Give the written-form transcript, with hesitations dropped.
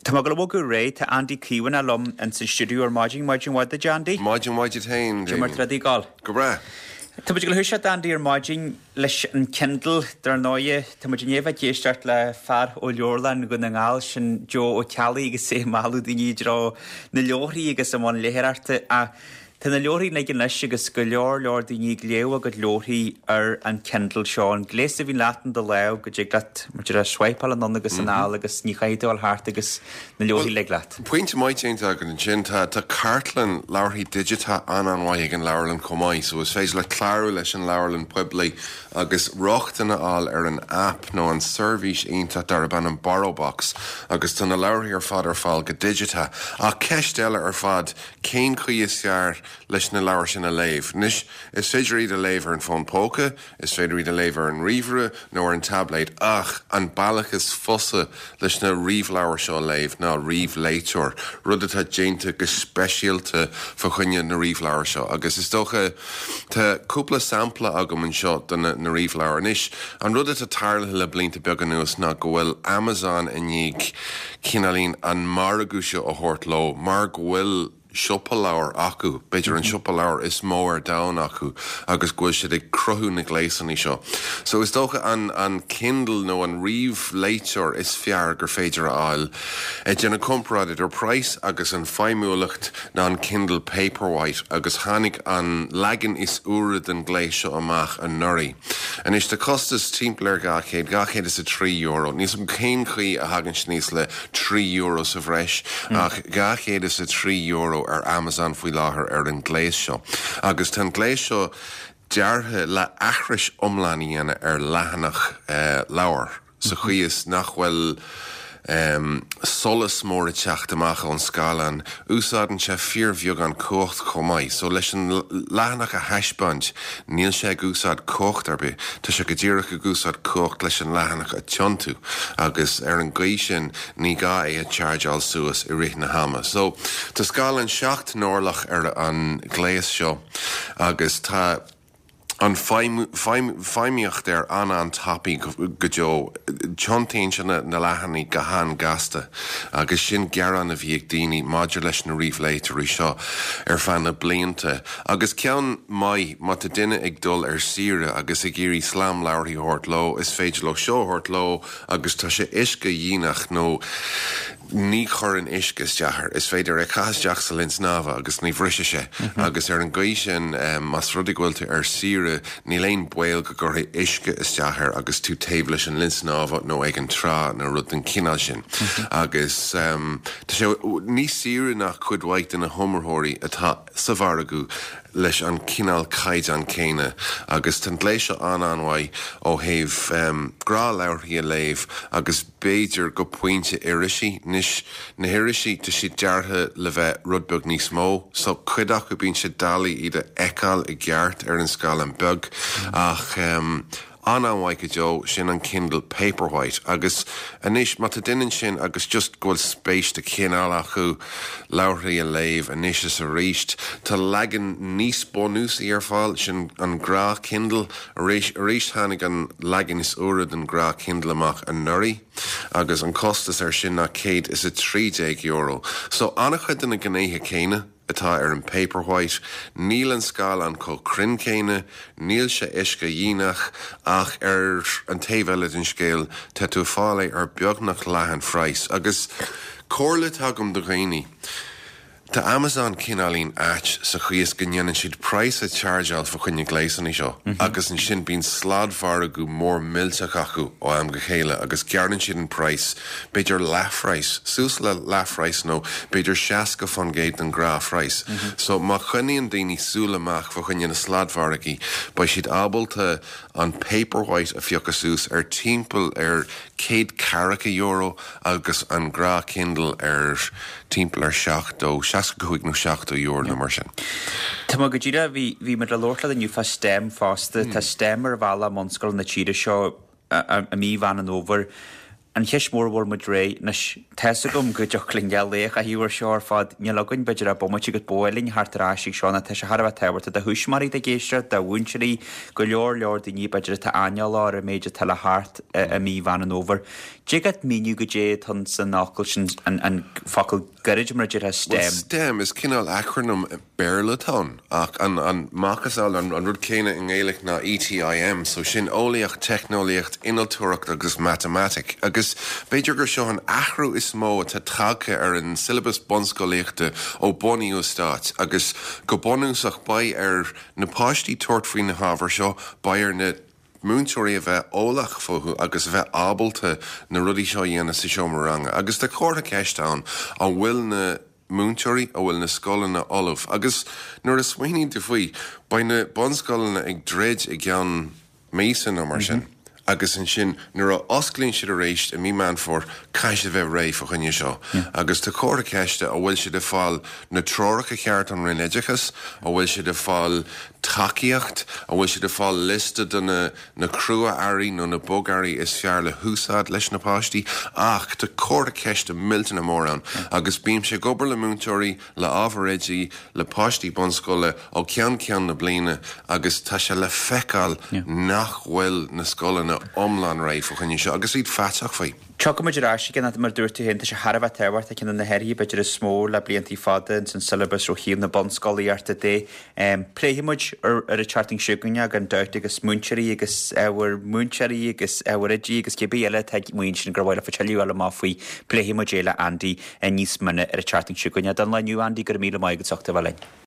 Tá mé ag dul a bhogadh ar aghaidh, tá Andy Caomhánach liom ins an stiúideo ar maidin. Maidin mhaith duit, Andy. Maidin mhaith duit féin, Cad é mar Damien. tá rudaí ag gabháil? Go breá. Tá muid ag dul a thoiseacht, Andy, ar maidin leis an Kindle, dar ndóighe. Tá muid i ndiaidh bheith ag éisteacht le fear ó Leabharlann Dhún na nGall, sin Joe Ó Ceallaigh agus é ag mealladh daoine i dtreo na leabharthaí agus i mbun léitheoireachta. Ach Tá na leabharthaí uilig anois agus go leor leor daoine ag léamh a gcuid leabharthaí ar an Kindle seo, an gléas a bhíonn leat in do lámh go dtig leat, mar a déarfá, swipeáil anonn agus anall agus ní chaithfidh tú a dhul thart agus na leabharthaí uilig leat. Pointe maith déanta agat ansin. Tá tá cartlann leabharthaí digiteach an-an-mhaith ag an leabharlann chomh maith, so is féidir leat clárú leis an leabharlann poiblí agus rochtain a fháil ar an aip nó an seirbhís iontach darb ainm BorrowBox agus tá na leabharthaí ar fad ar fáil go digiteach. Ach ceist eile ar fad, Cén chaoi is fearr leis na leabhair sin a léamh? Anois, is féidir iad a léamh ar an bhfón póca, is féidir iad a léamh ar an ríomhaire nó ar an taibléad, ach an bealach is fusa leis na ríomhleabhair seo a léamh ná ríomhléiteoir, rud atá déanta go speisialta fá choinne na ríomhleabhar seo. Agus is dócha, tá cúpla sampla agam anseo de na ríomhleabhair. Anois, an rud atá tarlaithe le blianta beaga anuas ná go bhfuil Amazon i ndiaidh cineáilín an margadh seo a thabhairt leo mar go bhfuil siopa leabhar acu, b'fhéidir an siopa leabhar is mó ar domhan acu agus go bhfuil siad ag cruthú na gléasanna seo. So is dócha an an Kindle nó an ríomhléiteoir is fearr gur féidir a fháil, ag déanamh comparáid idir praghas agus an feidhmiúlacht, ná an Kindle Paperwhite agus tháinig an leagan is úire den ghléas seo amach anuraidh. Anois tá costas timpeall ar 200, €203. Níl 's agam cén chaoi a thagann sé aníos le €3 sa bhreis ach €203 ar Amazon faoi láthair ar an ngléas seo. Agus tá an gléas seo deartha le aithris iomlán a dhéanamh ar leathanach leabhair. sa chaoi is nach bhfuil solas mór ag teacht amach ón scáileán. Úsáideann sé fíorbheagán cumhacht chomh maith, so leis an leathanach a thaispeáint níl sé ag úsáid cumhacht ar bith, tá sé go díreach ag úsáid cumhacht leis an leathanach a tiontú agus ar an gcaoi sin ní gá é a chargeáil suas i rith na hama. So tá scáileán 7 n-orlach ar an ghléas seo agus tá. an feidhmíocht air an-an-tapaidh go deo. Tiontaíonn sé na leathanaigh go han-gasta agus sin gearán a bhí ag daoine maidir leis na ríomhléiteoirí seo ar feadh na blianta. Agus ceann maith, má tá duine ag dul ar saoire agus ag iarraidh slam leabharthaí a thabhairt leo, is féidir leo seo a thabhairt leo agus tá sé uisce-dhíonach nó Ní chuireann uisce isteach air. Is féidir é a chaitheamh isteach sa linn snámha agus ní bhrisfidh sé. Agus ar an gcaoi sin, más rud é go bhfuil tú ar saoire, níl aon baol go gcuirfidh uisce isteach air agus tú taobh leis an linn snámha nó ag an trá nó rud den chineál sin. Agus tá sé níos saoire ná cuid mhaith de na hiomaitheoirí atá sa mhargadh leis an cineál caighdeán céanna. Agus tá an gléas seo an-an-mhaith ó thaobh gnáthleabharthaí a léamh agus b'fhéidir go pointe irisí. Anois, na hirisí, tá siad deartha le bheith rud beag níos mó, so cuid acu bíonn sé doiligh iad a fheiceáil i gceart ar an scáileán beag, ach an-an-mhaith go deo, sin an Kindle Paperwhite. Agus anois, má tá duine ansin agus just go bhfuil spéis de chineál acu leabharthaí a léamh anois is arís, tá leagan níos bunúsaí ar fáil, sin an gnáth-Kindle. Arís, arís tháinig an leagan is úire den ghnáth-Kindle amach anuraidh agus an costas air sin ná €113. So, an-chuid de na gnéithe céanna atá ar an Paperwhite, níl an scáileán chomh cruinn céanna, níl sé uisce-dhíonach ach ar an taobh eile den scéal tá tú ag fáil é ar beagnach leath an phraghas. Agus comhairle atá agam do dhaoine, Tá Amazon cineáilín ait sa chaoi is go ndéanann siad praghas a chargeáil fa choinne gléasanna seo agus ansin bíonn sladmhargadh mór millteach acu ó am go chéile agus gearrann siad an praghas b'fhéidir leathphraghas, suas le leathphraghas nó b'fhéidir 60% den ghnáthphraghas. So má choinníonn daoine súil amach fa choinne na sladmhargaí beidh siad ábalta an Paperwhite a phiocadh suas ar timpeall ar €140 agus an gnáth Kindle ar timpeall ar 70, 65 nó €70 nó mar sin. Tá mé go díreach, bhí, bhí muid ag labhairt leat inniu fá STEM fosta. Tá STEM ar an bhealach i mbunscoileanna na tíre seo i mí Mheán an Fhómhair. An cheist mhór a bhfuil muid réidh anois, tá's agam go dtiocfadh linn lá a chaitheamh ar seo ar fad, níl againn b'fhéidir ach bomaite agus ba mhaith linn theacht ar ais ag seo nó tá sé thar a bheith tábhachtach do thuismitheoirí atá ag éisteacht, do mhúinteoirí, go leor leor daoine b'fhéidir atá aineolach ar an méid atá le theacht i mí Mheán an Fhómhair. Dtig leat míniú goidé atá san fhocal sin, an focal gairid mar a déarfá STEM? Bhuel STEM, is cineál acrainm Béarla atá ann, ach an macasamhail, an rud céanna i nGaeilge ná ETIM, so sin eolaíocht, teicneolaíocht, innealtóireacht agus matamaitic. Agus b'fhéidir gur seo an athrú is mó atá tagtha ar an siollabas bunscolaíochta ó bunaíodh stát, agus go bunúsach beidh ar na páistí tabhairt faoi na hábhair seo, beidh ar na múinteoirí a bheith eolach fúthu agus a bheith ábalta na rudaí seo a dhéanamh sa seomra ranga. Agus tá comhartha ceiste ann, an bhfuil na. múinteoirí, an bhfuil na scoileanna ullamh? Agus nuair a smaoiníonn tú faoi, beidh na bunscoileanna ag druid i gceann míosa nó mar sin agus ansin nuair a osclaíonn siad arís i mí Meán Fómhair, caithfidh siad a bheith réidh fá choinne seo. Agus tá comhartha ceiste, an bhfuil siad ag fáil na treoracha ceart ón Roinn Oideachais, an bhfuil siad ag fáil tacaíocht, an bhfuil siad ag fáil liosta de na na crua-earraí nó na bogearraí is fearr le húsáid leis na páistí, ach tá comhartha ceiste millteanach mór ann agus bímse ag obair le múinteoirí, le ábhair oidí, le páistí bunscoile ó cheann ceann na bliana agus tá sé le feiceáil nach bhfuil na scoileanna iomlán réidh fá choinne seo agus iad faiteach faoi. Tiocfaidh muid ar ais again, mar a dúirt tú féin, tá sé thar a bheith tábhachtach, ceann de na hathruithe b'fhéidir is mó le blianta fada ins an syllabus ó thaobh na bunscolaíochta de. Pléifidh muid ar an tseachtain seo chugainn gan dabht agus múinteoirí agus ábhair múinteoirí agus ábhair oidí agus cibé eile atá amuigh ansin gur mhaith leofa tuilleadh a fháil amach faoi, pléifidh muid é le Andy níos mine ar an tseachtain seo chugainn. Don lá inniu, Andy, go raibh míle maith agat as ucht a bheith linn.